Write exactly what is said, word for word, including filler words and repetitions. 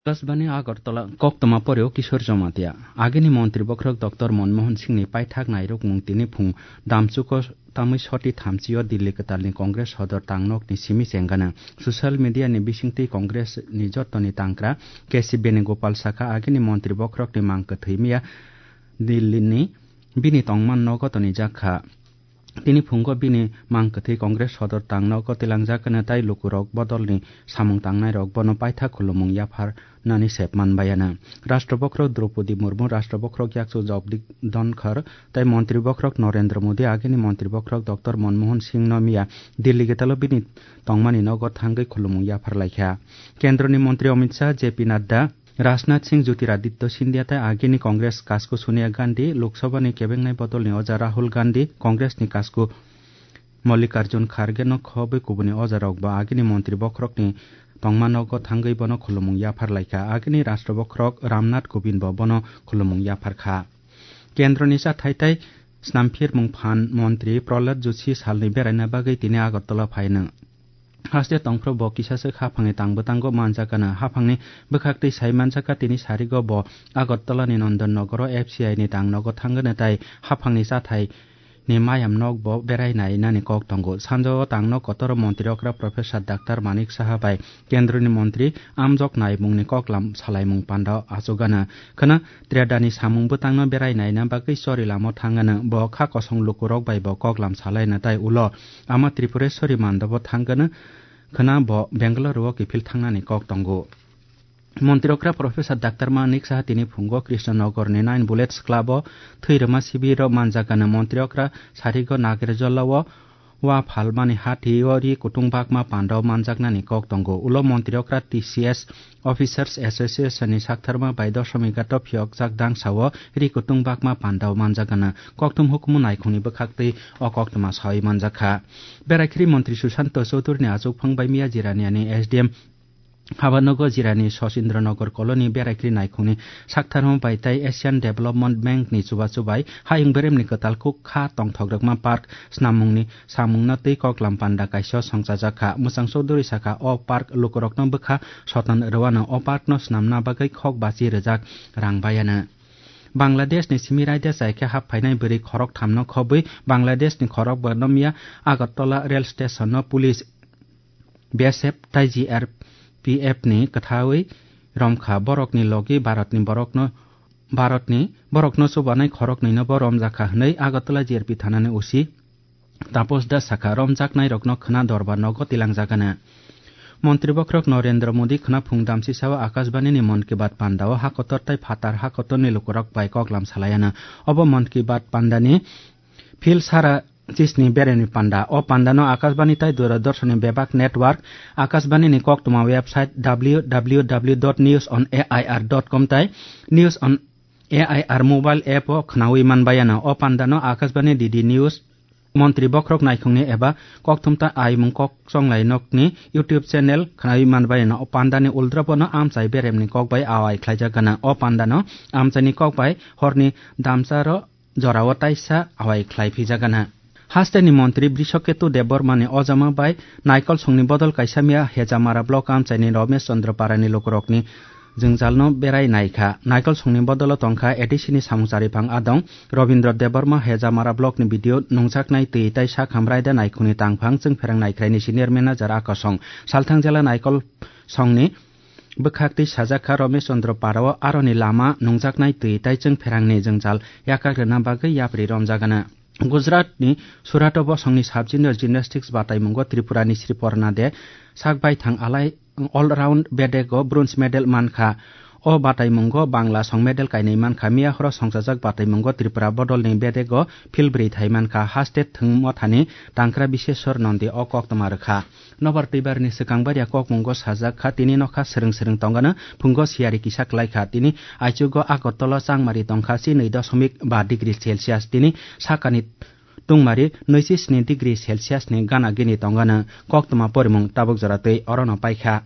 Akashbani Agartala, koktwma poreo Kishore Jamatia. Agini montri bokhorok Doctor Manmohan Singhni paithak nairukmung tini phung damchuko tamwi soti thamchio Delhi kwtalni Congress sodor tangnokni simi chenggana. Social media ni bisingtwi Congress ni jotoni tangkra K C Venugopal sakha, agini montri bokhorokni mang kwthwi miya Delhi ni bini tongman nogo tonijakha. Tini phungo bini mang kwthwi Congress sodor tangno kotilangjak hwnwi tai lukurok bodolni samung tangnairok bono paithak khulumung yapharnani sep manbayana. Rashtra bokhorok Draupadi Murmu, Rashtra bokhorok yakchu Jagdeep Dhankhar tai montri bokhorok Narendra Modi, agini montri bokhorok Doctor Manmohan Singhno miya Delhi getalo bini tongmani nogo thangwi khulumung yapharlaikha. Kendroni montri Amit Shah, J P Nadda, Rajnath Singh, Jyotiraditya Scindia tai agini Congress kasku Sonia Gandhi, Lok Sabhani kebengnai bodolni oja Rahul Gandhi, Congressni kasku Mallikarjun Khargeno khobwi kubuni ojarokbo agini montri bokhorokni tongmanogo thangwi bono khulumung yapharlaikha. Agini Rashtra bokhorok Ramnath Kovindbo bono khulumung yapharkha. Kendroni chathai tai snamphirmung phan montri Prahlad Joshi salni beraina bagwi tini Agartala phaino. Haste tongphuru bo kisaswk haphangni tang bwtango manjakgana. Haphangni bwkhaktwi sai manjakha tini sarigo bo Agartalani Nandan Nogoro F C I ni tang nogo thangano tai haphangni chathai ni mayam nok bo berai nai nani kok tongo. Sanjao tangno kotoro montri okra Professor Doctor Manik Saha bai kendroni montri amjok naimungni koklam salaimung panda achugana. Khwna Tredani samung bwtangno berai naina bagwi chori lamo thangano. Bo kha kosong lukurok bai bo koklam salaina tai ulo ama Tripureswari mandabo thangano. Khwna bo Bengaluru o kiphil thangnani kok tongo. Montri okra Professor Doctor Manik Saha tini phungo Krishnanagar ni Nine Bullets Club o thwi rwma sibiro manjakgana. Montri okra sarigo Nagerjola o wa phalmani hati o ri kutung bakma panda o manjaknani kok tongo. Ulo montri okra T C S Officers Association ni saktharma bai Doshomighat o phiyokjak dangsa o ri kutung bakma panda o manjakgana. Kokthum hukumu naikhungni bwkhaktwi o koktwma sawi manjakha. Beraikri montri Sushanta Chowdhury ni achukphang bai miya Jiraniani S D M Habanogo Jirani Sosindra Nagar Colony beraikri naikhungni saktharma bai tai Asian Development Bank ni chubachu bai hayung beremni kwtal kuk kha tongthok rwkma park snamungni samungno twi koklam panda kaisa songchajak kha. Mwchang Chowdhury sakha, o park lukurokno bwkha soton rwano, o parkno snamna bagwi khok bachi rwjak rang bayano. Bangladeshni simi raida chai khe hap phainai bwrwi khorok thamno khobwi Bangladeshni khorok bwrwno miya Agartala rail stationno police B S F tai G R P F ni kwthawi romkha. Borokni logi Bharatni borokno, Bharatni borokno chubanai khoroknwino bo romjakha hwnwi Agartala G R P thanani O C Tapos Das sakha, romjaknairokno khwna dorbar nogo tilangjagana. Montri bokhorok Narendra Modi khwna phung damsisao Akashbani ni Mann Ki Baat pandao hakotor tai phatar hakotorni lukurok bai koklam salayana. Obo Mann Ki Baat pandani phil sara chisni beremni panda. O pandano Akashbani tai Doordarshan ni bebak network, Akashbani ni koktwma website W W W dot news on A I R dot com tai News on A I R mobile app o khwnawi manbayana. O pandano Akashbani D D News, Montri bokhorok naikhungni eba kokthumta aimung kok chonglai nokni YouTube channel khwnawi manbayana. O pandani uldrobono amchai beremni kok bai awai khlaijakgana. O pandano amchaini kok bai horni damcharo jorao taisa awai khlai phijakgana. Hasteni montri Brishoketu Debbarmani ojama bai Naikol songni bodol kaisa miya Hejamara block amchaini Romesh Chandra Parani lukurokni jwngjalno berai naikha. Naikol songni bodolo tongkha A D C ni samung chariphang adong Robindra Debbarma, Hejamara block ni B D O nungjaknai twi tai sak hamrai da naikhungni tangphang chwngpherang naikhraini senior manager Akasong. Salthang jela Naikol songni bwkhaktwi sajakha Romesh Chandra Parao aroni lama nungjaknai twi tai chwngpherangni jwngjal yakak rwna bagwi yapri romjagana. Gujaratni Surat o bosongni sub-junior gymnastics bataimungo Tripurani Sri Porna De sak baithang alai all-round bedego bronze medal mankha. O bataimungo Bangla song medal kainwi mankha. Miya horo songchajak bataimungo Tripura bodolni bedego phil bwrwi thai mankha. Haste thwng mothani tangkra Biseswar Nondi o koktwma rwkha. Nobar twibarni swkang baria kokmungo sajak kha, tini nokha swrwng swrwng tongano phungo siyari kisa kwlai kha. Tini aichugo Agartala changmari tongkha chinwi dosomik ba degree Celsius. Tini sakani tungmari nwichi sni degree Celsius ni gana gini tongano. Koktwma porimung tabuk jora twi orono paikha.